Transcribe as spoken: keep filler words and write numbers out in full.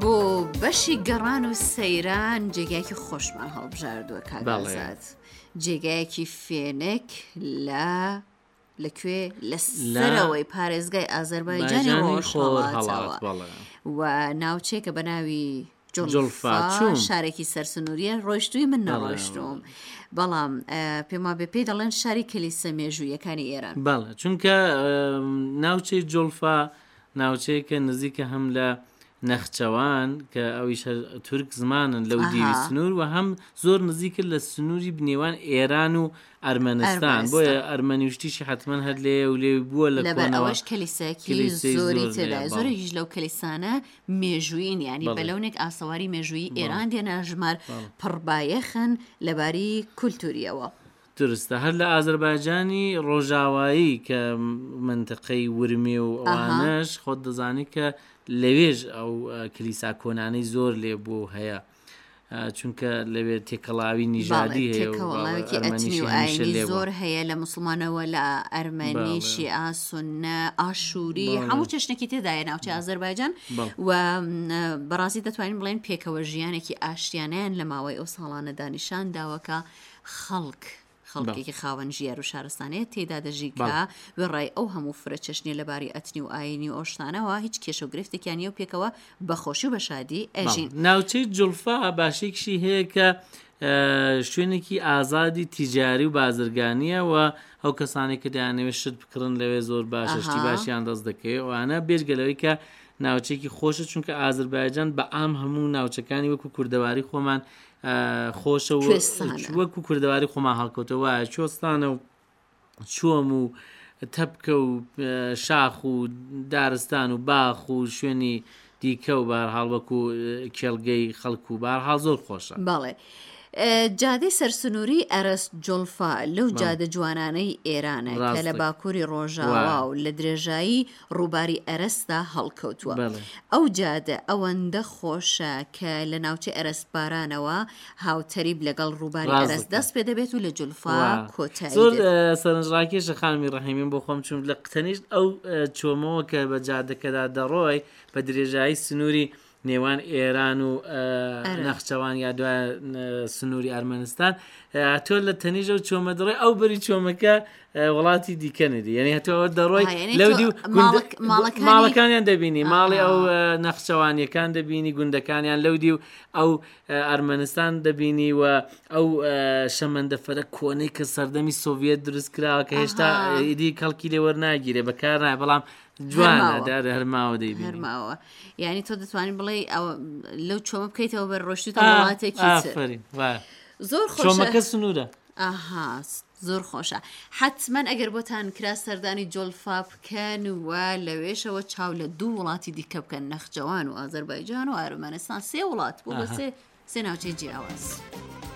بۆ بەشی گەڕان و سەیران جێگایەکی خۆشمان هەڵبژاردووە کاک ئازاد، جێگایەکی فێنک لە لەکوێ لە سەرەوەی پارێزگای ئازەربایجانی ڕۆژهەڵاتەوە و ناوچێکە بە ناوی جوڵفا، شارێکی سەرسنووریە. ڕۆیشتووی؟ من نەڕۆیشتوم، بەڵام پێم وابێ پێی دەڵێن شاری کلیسە مێژوویەکانی ئێران. بەڵێ، چونکە ناوچەی جوڵفا ناوچەیەکە نزیکە هەم لە نەخچەوان کە ئەویش هەر تورک زمانن لەو دیوی سنوور، و هەم زۆر نزیکە لە سنووری نێوان ئێران و ئەرمەنستان، بۆیە ئەرمەنی شتیشی حتمما هەر لێ و لێ بووە. لە لەبەر ئەوەش کلیسایەکی زۆری تێدایە، زۆرێکیش لەو کلیسانە مێژوویین، ینی بە لەونێک ئاسەواری مێژوویی ئێران دێنە ژمار، پڕبایەخن لەباری کولتوریەوە. درستە، هەر لە ئازەربایجانی ڕۆژاوایی کە منتەقەی ورمێ و ئەوانەش خۆت دەزانی کە لەوێژ ئەو کلیسا کۆنانەی زۆر لێ بوو هەیە، چونکە لەوێ تێکەڵاوی نیژادی هەیە، تێکەڵاوێکی ئەتنی و ئاینی زۆر هەیە، لە مسلمانەوە لە ئەرمەنی، شیعە، سوننە، ئاشووری، هەموو چەشنێکی تێدایە ناوچەی ئازەربایجان. و بەڕاستی دەتوانین بڵێن پێکەوە ژیانێکی ئاشتیانیان لە ماوەی ئەو ساڵانەدا نیشان داوە کە خەڵک خەڵکێکی خاوەن ژیار و شارستانەیە تێدا دەژی کە وێڕای ئەو هەموو فرە چەشنیە لەباری ئەتنی و ئاینی و ئەو شتانەوە هیچ کێشە و گرفتێکیان نییە و پێکەوە بە خۆشی و بە شادی ئەژین. ناوچەی جوڵفا باشێکشی هەیە کە شوێنێکی ئازادی تیجاری و بازرگانیە و ئەو کەسانێک کە دەیانەوێت شت بکڕن لەوێ زۆر باشە، شتی باشیان دەست دەکەوێت ئەوانە، بێجگە لەوەی کە ناوچێکی خۆشە، چونکە ئازربایجان بە عام هەموو ناوچەکانی وەکو کوردەواری خۆمان خۆشە و وەکو کوردەواری خۆمان هەڵکەوتەوە وایە، کوێستانە و چۆم و تەپکە و شاخ و دارستان و باخ و شوێنی دیکە و بەهەرحاڵ وەکو کێڵگەی خەڵک و بەهەرحاڵ زۆر خۆشە. بەڵێ. جادەی سەرسنووری ئەرەس جوڵفا لەو جادە جوانانەی ئێرانە کە لە باکووری ڕۆژاوا و لە درێژایی ڕووباری ئەرەسدا هەڵکەوتووە. ئەو جادە ئەوەندە خۆشە کە لە ناوچەی ئەرەسبارانەوە هاوتەریب لەگەڵ ڕووباری ئەرەس دەست پێ دەبێت و لە جولفا کۆتایی زۆر سەرنجڕاکێشە خانمی ڕەحیمین، بۆ خۆم چون لە تەنیشت ئەو چۆمەوە کە بە جادەکەدا دەڕۆی بە درێژایی سنووری نێوان ئێران و نەخچەوان یا دوای سنووری ئەرمەنستان، تۆ لە تەنیژە و چۆمە دەڕۆی ئەو بەری چۆمەکە وڵاتی دیکە ندی، یعنی هەتۆ ئەوە دەڕۆی لەو دی ماڵەکانیان دەبینی، ماڵی ئەو نەخچەوانیەکان دەبینی، گوندەکانیان لەو دی و ئەو ئەرمەنستان دەبینی و ئەو شەمەندەفەرە کۆنەی کە سەردەمی سۆڤیەت دروست کراوە کە هێشتا ئیدی کەڵکی لێ وەرناگیرێ، بەکار نایە، بەڵام جوانە، دارە هەرماوە دەیبینی. هەرماوە، یعنی تۆ دەتوانین بڵێ لەو چۆمە بکەیتەوە بەر ڕۆشتوتە وڵاتێکی ئافرین، زۆر خۆشە، چۆمەکە سنوورە. ئاها، زۆر خۆشە. حتمما ئەگەر بۆتان کرا سەردانی جۆلفا بکەن و لەوێشەوە چاو لە دوو وڵاتی دیکە بکەن، نەخجەوان و ئازەربایجان و ئەرمەنستان، سێ وڵات بۆ بە سێ سێ ناوچەی جیاواز.